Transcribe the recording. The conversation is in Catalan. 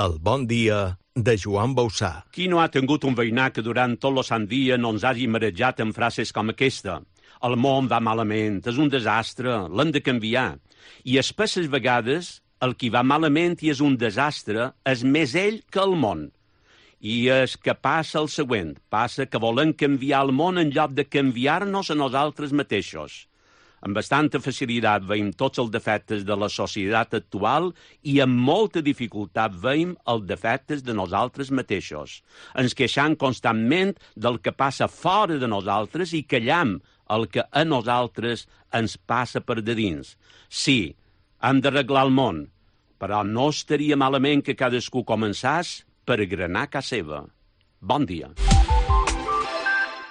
El bon dia de Joan Bausà. Qui no ha tingut un veïnat que durant tot el sant dia no ens hagi marejat amb frases com aquesta? El món va malament, és un desastre, l'hem de canviar. I espesses vegades el qui va malament i és un desastre és més ell que el món. I és que passa el següent, passa que volem canviar el món en lloc de canviar-nos a nosaltres mateixos. Amb bastanta facilitat veiem tots els defectes de la societat actual i amb molta dificultat veiem els defectes de nosaltres mateixos. Ens queixam constantment del que passa fora de nosaltres i callam el que a nosaltres ens passa per de dins. Sí, hem d'arreglar el món, però no estaria malament que cadascú començàs per agranar casa seva. Bon dia.